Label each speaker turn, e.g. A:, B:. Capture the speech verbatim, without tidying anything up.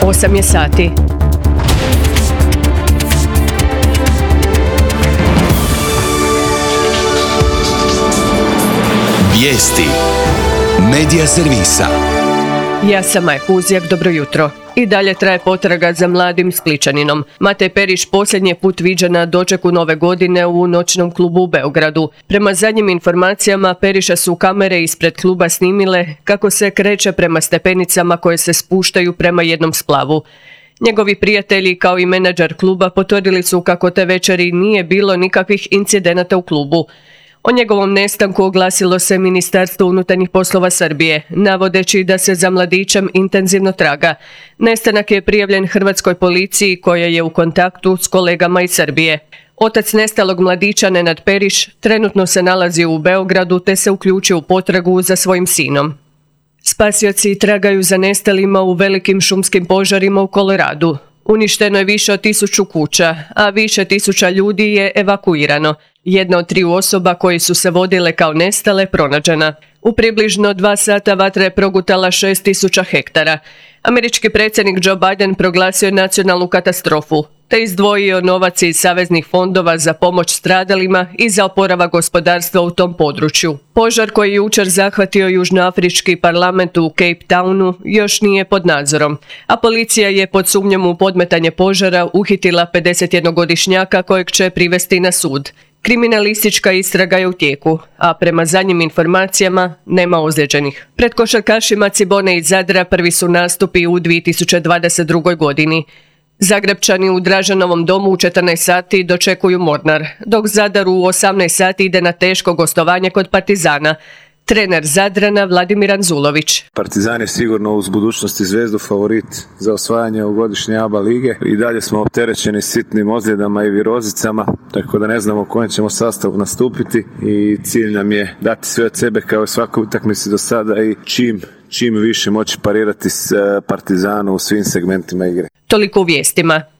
A: osam je sati.
B: Vijesti Medija servisa.
A: Ja sam Maja Kuzjak, dobro jutro. I dalje traje potraga za mladim Spličaninom. Matej Periš posljednji put viđen na dočeku nove godine u noćnom klubu u Beogradu. Prema zadnjim informacijama, Periša su kamere ispred kluba snimile kako se kreće prema stepenicama koje se spuštaju prema jednom splavu. Njegovi prijatelji kao i menadžer kluba potvrdili su kako te večeri nije bilo nikakvih incidenata u klubu. O njegovom nestanku oglasilo se Ministarstvo unutarnjih poslova Srbije, navodeći da se za mladićem intenzivno traga. Nestanak je prijavljen hrvatskoj policiji koja je u kontaktu s kolegama iz Srbije. Otac nestalog mladića Nenad Periš trenutno se nalazi u Beogradu te se uključio u potragu za svojim sinom. Spasioci tragaju za nestalima u velikim šumskim požarima u Koloradu. Uništeno je više od tisuću kuća, a više tisuća ljudi je evakuirano. Jedna od triju osoba koji su se vodile kao nestale pronađena. U približno dva sata vatra je progutala šest tisuća hektara. Američki predsjednik Joe Biden proglasio je nacionalnu katastrofu, te izdvojio novac iz saveznih fondova za pomoć stradalima i za oporavak gospodarstva u tom području. Požar koji je jučer zahvatio južnoafrički parlament u Cape Townu još nije pod nadzorom, a policija je pod sumnjom u podmetanje požara uhitila pedesetjednogodišnjaka kojeg će privesti na sud. Kriminalistička istraga je u tijeku, a prema zadnjim informacijama nema ozlijeđenih. Pred košarkašima Cibone iz Zadra prvi su nastupi u dvije tisuće dvadeset drugoj. godini. Zagrebčani u Dražanovom domu u četrnaest sati dočekuju Mornar, dok Zadar u osamnaest sati ide na teško gostovanje kod Partizana. Trener Zadrana Vladimir Anzulović.
C: Partizan je sigurno uz budućnosti Zvezdu favorit za osvajanje ovogodišnje A B A lige. I dalje smo opterećeni sitnim ozljedama i virozicama, tako da ne znamo u kojem ćemo sastavu nastupiti i cilj nam je dati sve od sebe kao i svakoj utakmici do sada i čim, čim više moći parirati s Partizanu u svim segmentima igre.
A: Toliko u vijestima.